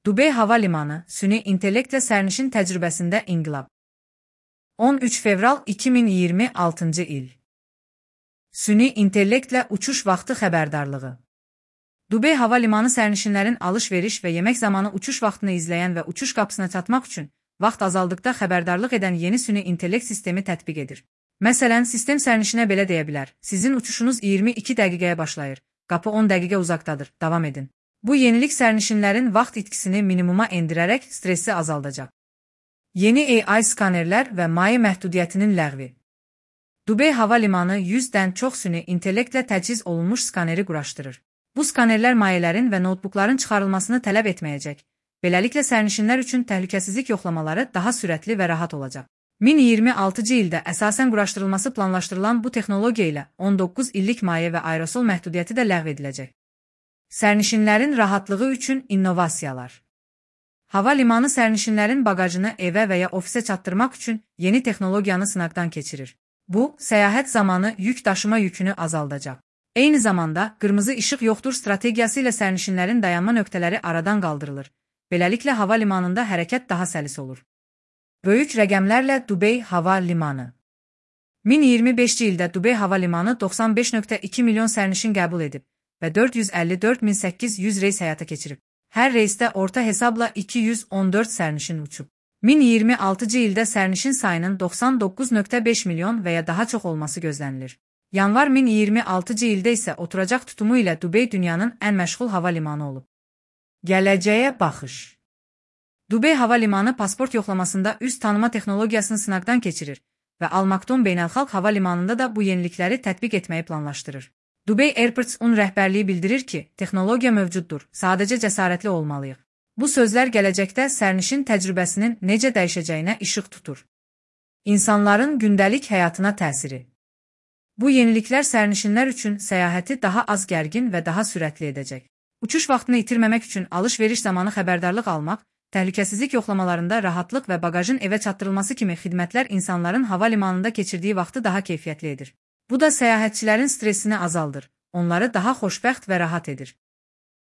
Dubey Hava Limanı, süni intellektlə sərnişin təcrübəsində inqilab. 13 fevral 2026 il. Süni intellektlə uçuş vaxtı xəbərdarlığı. Dubey Hava Limanı sərnişinlərin alış-veriş və yemək zamanı uçuş vaxtını izləyən və uçuş qapısına çatmaq üçün vaxt azaldıqda xəbərdarlıq edən yeni süni intellekt sistemi tətbiq edir. Məsələn, sistem sərnişinə belə deyə bilər: sizin uçuşunuz 22 dəqiqəyə başlayır, qapı 10 dəqiqə uzaqdadır, davam edin. Bu yenilik sərnişinlərin vaxt itkisini minimuma endirərək stressi azaldacaq. Yeni AI skanerlər və maye məhdudiyyətinin ləğvi. Dubey Hava Limanı 100-dən çox süni intellektlə təchiz olunmuş skaneri quraşdırır. Bu skanerlər mayələrin və notebookların çıxarılmasını tələb etməyəcək. Beləliklə sərnişinlər üçün təhlükəsizlik yoxlamaları daha sürətli və rahat olacaq. 2026-cı ildə əsasən quraşdırılması planlaşdırılan bu texnologiya ilə 19 illik maye və aerosol məhdudiyyəti də ləğv ediləcək. Sərnişinlərin rahatlığı üçün innovasiyalar. Hava limanı sərnişinlərin bagajını evə və ya ofisə çatdırmaq üçün yeni texnologiyanı sınaqdan keçirir. Bu, səyahət zamanı yük daşıma yükünü azaldacaq. Eyni zamanda, qırmızı işıq yoxdur strategiyası ilə sərnişinlərin dayanma nöqtələri aradan qaldırılır. Beləliklə, hava limanında hərəkət daha səlis olur. Böyük rəqəmlərlə Dubey Hava Limanı. 2025-ci ildə Dubey Hava Limanı 95,2 milyon sərnişin qəbul edib və 454.800 reys həyata keçirib. Hər reysdə orta hesabla 214 sərnişin uçub. 2026-cı ildə sərnişin sayının 99,5 milyon və ya daha çox olması gözlənilir. Yanvar 2026-cı ildə isə oturacaq tutumu ilə Dubey dünyanın ən məşğul hava limanı olub. Gələcəyə baxış. Dubey Hava Limanı pasport yoxlamasında üz tanıma texnologiyasını sınaqdan keçirir və Al-Maktoum Beynəlxalq Hava Limanında da bu yenilikləri tətbiq etməyi planlaşdırır. Dubey Airports-un rəhbərliyi bildirir ki, texnologiya mövcuddur, sadəcə cəsarətli olmalıyıq. Bu sözlər gələcəkdə sərnişin təcrübəsinin necə dəyişəcəyinə işıq tutur. İnsanların gündəlik həyatına təsiri. Bu yeniliklər sərnişinlər üçün səyahəti daha az gərgin və daha sürətli edəcək. Uçuş vaxtını itirməmək üçün alış-veriş zamanı xəbərdarlıq almaq, təhlükəsizlik yoxlamalarında rahatlıq və bagajın evə çatdırılması kimi xidmətlər insanların hava limanında keçirdiyi vaxtı daha keyfiyyətli edir. Bu da səyahətçilərin stressini azaldır, onları daha xoşbəxt və rahat edir.